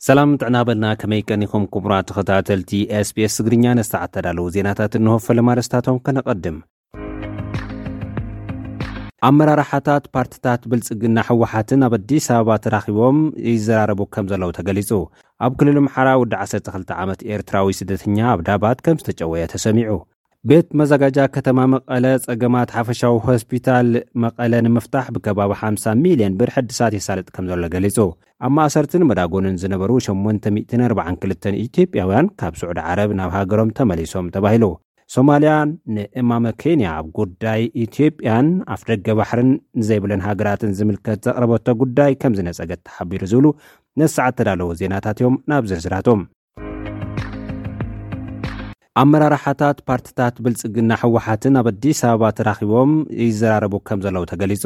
ሰላም ጥዕና በልና። ከመይ ቀኒኹም ክቡራት ተኸታተልቲ SBS ትግርኛ? ነሰዓት ተዳለዉ ዜናታት እንሆ። ፈለማ ኣርእስታቶም ከነቐድም። ኣመራርሓታት ፓርትታት ብልጽግና፣ ህወሓትን ኣብ ኣዲስ ኣበባ ተራኺቦም ይዘራረቡ ከም ዘለዉ ተገሊጹ። ኣብ ክልል ኣምሓራ ወዲ ዓሰርተ ክልተ ዓመት ኤርትራዊ ስደተኛ ኣብ ዳባት ከም ዝተጨወየ ተሰሚዑ። ቤት መዘጋጃ ከተማ መቐለ ጸገማት ሓፈሻዊ ሆስፒታል መቐለ ንምፍታሕ ብከባቢ ሓምሳ ሚልዮን ብር ሕድሳት የሳልጥ ከም ዘሎ ገሊጹ። ኣብ ማእሰርትን መዳጎንን ዝነበሩ ሸሞንተ ሚእትን ኣርባዓን ክልተን ኢትዮጵያውያን ካብ ስዑዲ ዓረብ ናብ ሃገሮም ተመሊሶም ተባሂሉ። ሶማልያ ንእማመ ኬንያ ኣብ ጉዳይ ኢትዮጵያን ኣፍደገ ባሕርን ዘይብለን ሃገራትን ዝምልከት ዘቕረበቶ ጉዳይ ከም ዝነጸገት ተሓቢሩ ዝብሉ ነሰዓት ተዳለዉ ዜናታት እዮም። ናብ ዝርዝራቶም። ኣመራርሓታት ፓርትታት ብልጽግና፣ ህወሓትን ኣብ ኣዲስ ኣበባ ተራኺቦም ይዘራረቡ ከም ዘለዉ ተገሊጹ።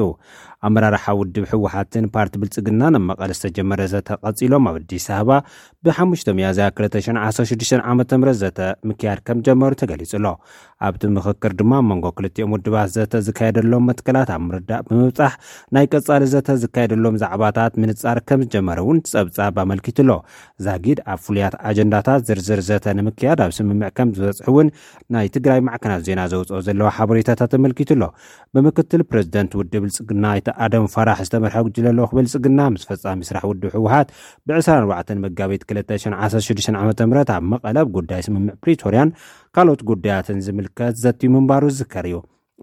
ኣመራርሓ ውድብ ህወሓትን ፓርቲ ብልጽግናን ኣብ መቐለ ዝተጀመረ ዘተ ቀጺሎም ኣብ ኣዲስ ኣበባ ብሓሙሽተ ሚያዝያ ክልተ ሽሕን ዓሰርተ ሽዱሽተን ዓመተ ምህረት ዘተ ምክያድ ከም ጀመሩ ተገሊጹ ኣሎ። ኣብቲ ምኽክር ድማ ኣብ መንጎ ክልቲኦም ውድባት ዘተ ዝካየደሎም መትከላት ኣብ ምርዳእ ብምብጻሕ ናይ ቀጻሊ ዘተ ዝካየደሎም ዛዕባታት ምንጻር ከም ዝጀመረ እውን ጸብጻብ ኣመልኪቱ ኣሎ። ዛጊድ ኣብ ፍሉያት ኣጀንዳታት ዝርዝር ዘተ ንምክያድ ኣብ ስምምዕ ከም ዝበጽሑ እውን ናይ ትግራይ ማዕከናት ዜና ዘውፅኦ ዘለዋ ሓበሬታታት ኣመልኪቱ ኣሎ። ብምክትል ፕሬዚደንት ውድብ ብልጽግና ኣይተ ኣደም ፋራሕ ዝተመርሐ ጉጅለ ልኡኽ ብልጽግና ምስ ፈጻሚ ስራሕ ውድብ ህወሓት ብዕስራን ኣርባዕተን መጋቢት ክልተ ሽሕን ዓሰርተ ሽዱሽተን ዓመተ ምህረት ኣብ መቐለ ኣብ ጉዳይ ስምምዕ ፕሪቶርያን ካልኦት ጉዳያትን ዝምልከት ዘትዩ ምንባሩ ዝዝከር እዩ።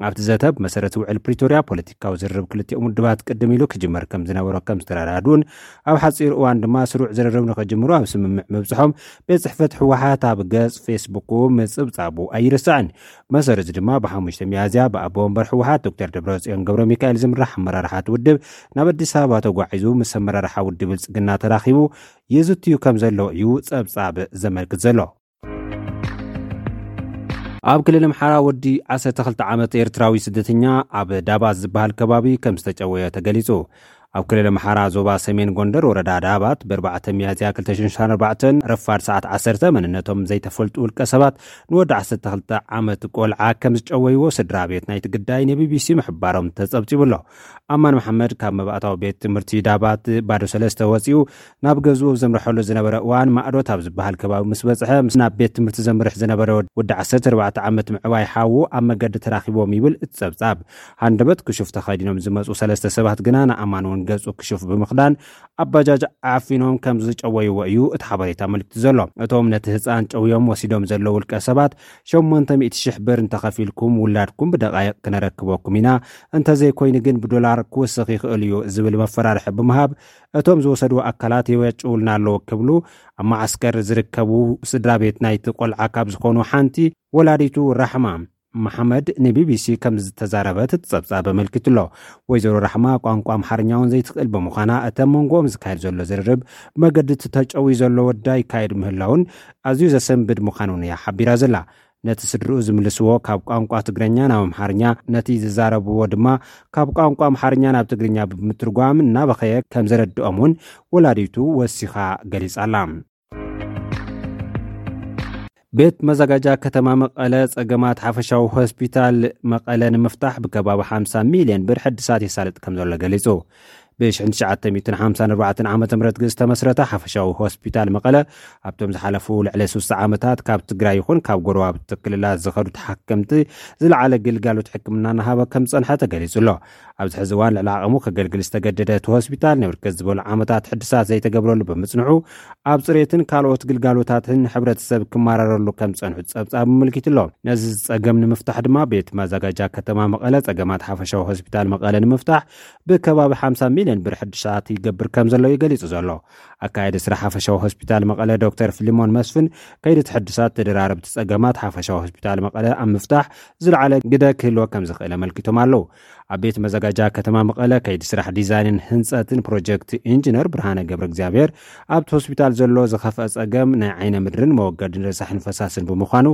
ኣብቲ ዘተ ብመሰረት ውዕል ፕሪቶርያ ፖለቲካዊ ዝርርብ ክልቲኦም ውድባት ቅድም ኢሉ ክጅመር ከም ዝነበሮ ከም ዝተረዳድኡን ኣብ ሓፂር እዋን ድማ ስሩዕ ዝርርብ ንኽጅምሩ ኣብ ስምምዕ ምብፅሖም ቤት ጽሕፈት ህወሓት ኣብ ገጽ ፌስቡኩ ምጽብጻቡ ኣይርሳዕን። መሰረት ድማ ብሓሙሽተ ሚያዝያ ብኣቦ ወንበር ህወሓት ዶክተር ደብረጽዮን ገብረ ሚካኤል ዝምራሕ ኣመራርሓት ውድብ ናብ ኣዲስ ኣበባ ተጓዒዙ ምስ ኣመራርሓ ውድብ ብልጽግና ተራኺቡ ይዝትዩ ከም ዘሎ እዩ ጸብጻብ ዘመልክት ዘሎ። ኣብ ክልል ኣምሓራ ወዲ ዓሰርተ ክልተ ዓመት ኤርትራዊ ስደተኛ ኣብ ዳባት ዝበሃል ከባቢ ከም ዝተጨወየ ተገሊጹ። ኣብ ክልል ኣምሓራ ዞባ ሰሜን ጎንደር ወረዳ ዳባት ብኣርባዕተ ሚያዝያ ክልተ ሽሕን ዓሰርተ ኣርባዕተን ረፋድ ሰዓት ዓሰርተ መንነቶም ዘይተፈልጡ ውልቀ ሰባት ንወዲ ዓሰርተ ክልተ ዓመት ቆልዓ ከም ዝጨወይዎ ስድራ ቤት ናይቲ ግዳይ ንቢቢሲ ምሕባሮም ተጸብጺቡ ኣሎ። ኣማን መሓመድ ካብ መባእታዊ ቤት ትምህርቲ ዳባት ባዶ ሰለስተ ወጺኡ ናብ ገዝኡ ዘምርሐሉ ዝነበረ እዋን ማእዶት ኣብ ዝበሃል ከባቢ ምስ በጽሐ ምስ ናብ ቤት ትምህርቲ ዘምርሕ ዝነበረ ወዲ ዓሰርተ ኣርባዕተ ዓመት ምዕባይ ሓዉ ኣብ መገዲ ተራኺቦም ይብል እቲ ጸብጻብ። ሃንደበት ክሹፍ ተኸዲኖም ዝመጹ ሰለስተ ሰባት ግና ንኣማን እውን ገጹ ክሹፍ ብምኽዳን ኣብ ባጃጅ ዓፊኖም ከም ዝጨወይዎ እዩ እቲ ሓበሬታ ኣመልኪቱ ዘሎ። እቶም ነቲ ህጻን ጨውዮም ወሲዶም ዘለዉ ውልቀ ሰባት ሸሞንተ ሚእቲ ሽሕ ብር እንተኸፊልኩም ውላድኩም ብደቓይቕ ክነረክበኩም ኢና፣ እንተዘይኮይኑ ግን ብዶላር ክውስኽ ይኽእል እዩ ዝብል መፈራርሒ ብምሃብ እቶም ዝወሰድዎ ኣካላት የወጭውልና ኣለዉ ክብሉ ኣብ መዓስከር ዝርከቡ ስድራ ቤት ናይቲ ቆልዓ ካብ ዝኾኑ ሓንቲ ወላዲቱ ራሕማ መሓመድ ንቢቢሲ ከም ዝተዛረበት እቲ ጸብጻብ ኣመልኪቱ ኣሎ። ወይዘሮ ራሕማ ቋንቋ ኣምሓርኛ እውን ዘይትኽእል ብምዃና እቲ ኣብ መንጎኦም ዝካየድ ዘሎ ዝርርብ ብመገዲ እቲ ተጨውዩ ዘሎ ወዳ ይካየድ ምህላውን ኣዝዩ ዘሰንብድ ምዃኑን እያ ሓቢራ ዘላ። ነቲ ስድርኡ ዝምልስዎ ካብ ቋንቋ ትግርኛ ናብ ኣምሓርኛ፣ ነቲ ዝዛረብዎ ድማ ካብ ቋንቋ ኣምሓርኛ ናብ ትግርኛ ብምትርጓም እናበኸየ ከም ዘረድኦም እውን ወላዲቱ ወሲኻ ገሊጻ ኣላ። ቤት መዘጋጃ ከተማ መቐለ ጸገማት ሓፈሻዊ ሆስፒታል መቐለ ንምፍታሕ ብከባቢ ሓምሳ ሚልዮን ብር ሕድሳት የሳልጥ ከም ዘሎ ገሊጹ። ብ ሽሕን ትሽዓተ ሚእትን ሓምሳን ኣርባዕተን ዓመተ ምህረት ዝተመስረተ ሓፈሻዊ ሆስፒታል መቐለ ኣብቶም ዝሓለፉ ልዕሊ ስሳ ዓመታት ካብ ትግራይ ይኹን ካብ ጎረባብቲ ክልላት ዝኸዱ ተሓከምቲ ዝለዓለ ግልጋሎት ሕክምና እናሃበ ከም ዝጸንሐ ተገሊጹ ኣሎ። ኣብዚ ሕዚ እዋን ልዕሊ ዓቕሙ ከገልግል ዝተገደደ እቲ ሆስፒታል ንብርክት ዝበሉ ዓመታት ሕድሳት ዘይተገብረሉ ብምጽንሑ ኣብ ጽሬትን ካልኦት ግልጋሎታትን ሕብረተሰብ ክመራረሉ ከም ዝጸንሑ ጸብጻብ ኣመልኪቱ ኣሎ። ነዚ ጸገም ንምፍታሕ ድማ ቤት ማዘጋጃ ከተማ መቐለ ጸገማት ሓፈሻዊ ሆስፒታል መቐለ ንምፍታሕ ብከባቢ ሓምሳ ሚልዮን ብር ሕድሳት ይገብር ከም ዘሎ እዩ ገሊጹ ዘሎ። ኣካየዲ ስራሕ ሓፈሻዊ ሆስፒታል መቐለ ዶክተር ፊሊሞን መስፍን ከይዲ እቲ ሕድሳት ተደራረብቲ ጸገማት ሓፈሻዊ ሆስፒታል መቐለ ኣብ ምፍታሕ ዝለዓለ ግደ ክህልዎ ከም ዝኽእል ኣመልኪቶም ኣለዉ። ኣብ ቤት መዘጋጃ ከተማ መቐለ ከይዲ ስራሕ ዲዛይንን ህንጸትን ፕሮጀክት ኢንጂነር ብርሃነ ገብረ እግዚኣብሔር ኣብቲ ሆስፒታል ዘሎ ዝኸፍአ ጸገም ናይ ዓይነ ምድርን መወገድን ረሳሕን ፈሳስን ብምዃኑ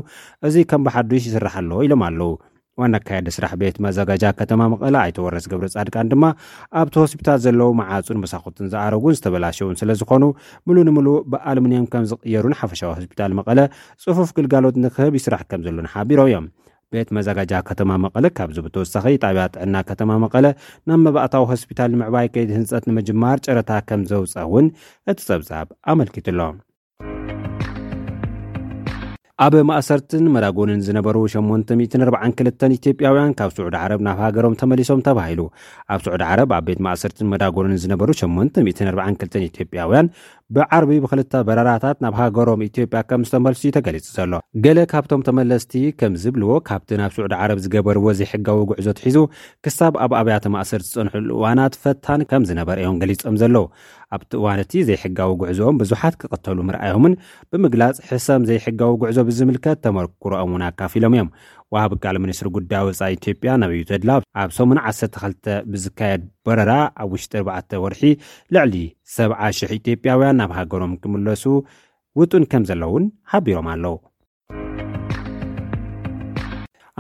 እዚ ከም ብሓዱሽ ይስራሕ ኣሎ ኢሎም ኣለዉ። ዋና ኣካያዲ ስራሕ ቤት መዘጋጃ ከተማ መቐለ ኣይተ ወረስ ገብረ ጻድቃን ድማ ኣብቲ ሆስፒታል ዘለዉ መዓጹን መሳኹትን ዝኣረጉን ዝተበላሸውን ስለ ዝኾኑ ምሉ ንምሉ ብኣሉሚንየም ከም ዝቕየሩን ሓፈሻዊ ሆስፒታል መቐለ ጽፉፍ ግልጋሎት ንክህብ ይስራሕ ከም ዘሎን ሓቢሮም እዮም። ቤት መዘጋጃ ከተማ መቐለ ካብዚ ብተወሳኺ ጣብያ ጥዕና ከተማ መቐለ ናብ መባእታዊ ሆስፒታል ንምዕባይ ከይዲ ህንፀት ንምጅማር ጨረታ ከም ዘውፀ እውን እቲ ፀብፃብ ኣመልኪቱ ኣሎ። ኣብ ማእሰርትን መዳጎንን ዝነበሩ ሸሞንተ ሚእትን ኣርባዓን ክልተን ኢትዮጵያውያን ካብ ስዑዲ ዓረብ ናብ ሃገሮም ተመሊሶም ተባሂሉ። ኣብ ስዑዲ ዓረብ ኣብ ቤት ማእሰርትን መዳጎንን ዝነበሩ ሸሞንተ ሚእትን ኣርባዓን ክልተን ኢትዮጵያውያን ብዓርቢ ብክልተ በረራታት ናብ ሃገሮም ኢትዮጵያ ከም ዝተመልሱ እዩ ተገሊጹ ዘሎ። ገለ ካብቶም ተመለስቲ ከም ዝብልዎ፣ ካብቲ ናብ ስዑዲ ዓረብ ዝገበርዎ ዘይሕጋዊ ጉዕዞ ትሒዙ ክሳብ ኣብ ኣብያተ ማእሰር ዝጸንሕሉ እዋናት ፈታን ከም ዝነበረ እዮም ገሊጾም ዘለዉ። ኣብቲ እዋን እቲ ዘይሕጋዊ ጉዕዞኦም ብዙሓት ክቕተሉ ምርኣዮምን ብምግላጽ፣ ሕሰም ዘይሕጋዊ ጉዕዞ ብዝምልከት ተመክሮኦም እውን ኣካፊሎም እዮም። ወሃቢ ቃል ሚኒስትሪ ጉዳይ ወጻኢ ኢትዮጵያ ነቢዩ ተድላ ኣብ ሰሙን ዓሰርተ ክልተ ብዝካየድ በረራ ኣብ ውሽጢ ኣርባዕተ ወርሒ ልዕሊ ሰብዓ ሽሕ ኢትዮጵያውያን ናብ ሃገሮም ክምለሱ ውጡን ከም ዘለውን ሓቢሮም ኣለዉ።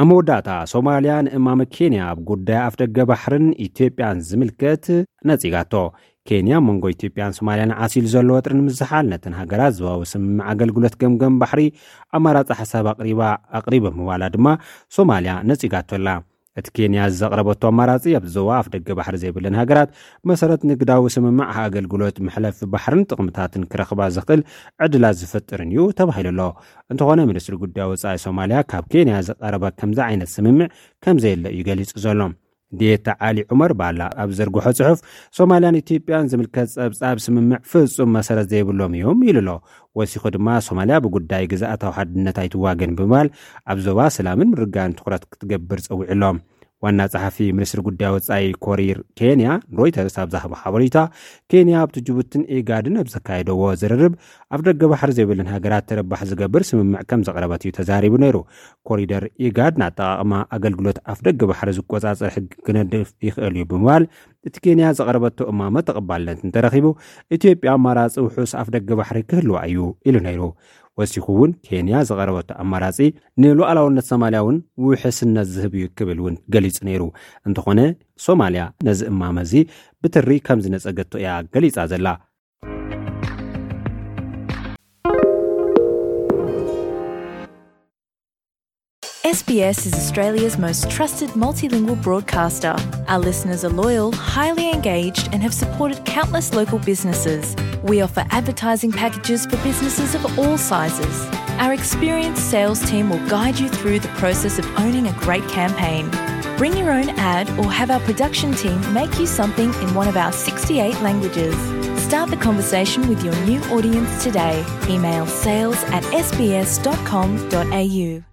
ኣብ መወዳእታ፣ ሶማልያ ንእማመ ኬንያ ኣብ ጉዳይ ኣፍደገ ባሕርን ኢትዮጵያን ዝምልከት ነጺጋቶ። ኬንያ መንጎ ኢትዮጵያን ሶማልያን ዓሲሉ ዘሎ ወጥሪ ንምዝሓል ነተን ሃገራት ዞባዊ ስምምዕ ኣገልግሎት ገምገም ባሕሪ ኣማራጺ ሓሳብ ኣቕሪባ ኣቕሪበ ምባላ ድማ ሶማልያ ነጺጋቶ ኣላ። እቲ ኬንያ ዘቕረበቶ ኣማራጺ፣ ኣብ ዞባ ኣፍደገ ባሕሪ ዘይብለን ሃገራት መሰረት ንግዳዊ ስምምዕ ኣገልግሎት መሕለፊ ባሕርን ጥቕምታትን ክረኽባ ዘኽእል ዕድላት ዝፈጥርን እዩ ተባሂሉ ኣሎ። እንተኾነ፣ ሚኒስትሪ ጉዳይ ወጻኢ ሶማልያ ካብ ኬንያ ዝቐረበ ከምዚ ዓይነት ስምምዕ ከም ዘየለ እዩ ገሊጹ ዘሎ። ዴታ ዓሊ ዑመር ባላ ኣብ ዘርግሖ ጽሑፍ፣ ሶማልያን ኢትዮጵያን ዝምልከት ጸብጻብ ስምምዕ ፍጹም መሰረት ዘይብሎም እዮም ኢሉ ኣሎ። ወሲኹ ድማ፣ ሶማልያ ብጉዳይ ግዝኣታዊ ሓድነት ኣይትዋገን ብምባል፣ ኣብ ዞባ ሰላምን ምርግጋእን ትኹረት ክትገብር ጸዊዑ ኣሎ። ዋና ጸሓፊ ሚኒስትሪ ጉዳይ ወጻኢ ኮሪር ኬንያ ሮይተርስ ኣብ ዝሃቦ ሓበሬታ፣ ኬንያ ኣብቲ ጅቡትን ኢጋድን ኣብ ዘካየደዎ ዝርርብ፣ ኣፍደገ ባሕሪ ዘይብለን ሃገራት ተረባሕ ዝገብር ስምምዕ ከም ዘቕረበት እዩ ተዛሪቡ ነይሩ። ኮሪደር ኢጋድ ንኣጠቓቕማ ኣገልግሎት ኣፍደገ ባሕሪ ዝቆጻጸር ሕጊ ክነድፍ ይኽእል እዩ ብምባል፣ እቲ ኬንያ ዘቕረበቶ እማመ ተቐባልነት እንተረኺቡ፣ ኢትዮጵያ ኣማራጺ ውሑስ ኣፍደገ ባሕሪ ክህልዋ እዩ ኢሉ ነይሩ። ወሲኹ እውን፣ ኬንያ ዘቐረበቶ ኣማራጺ ንሉዓላውነት ሶማልያ እውን ውሕስነት ዝህብ እዩ ክብል እውን ገሊጹ ነይሩ። እንተኾነ፣ ሶማልያ ነዚ እማመ እዚ ብትሪ ከም ዝነጸገቶ እያ ገሊጻ ዘላ። S B S is Australia's most trusted multilingual broadcaster. Our listeners are loyal, highly engaged, and have supported countless local businesses. We offer advertising packages for businesses of all sizes. Our experienced sales team will guide you through the process of owning a great campaign. Bring your own ad or have our production team make you something in one of our sixty-eight languages. Start the conversation with your new audience today. Email sales at S B S dot com dot A U.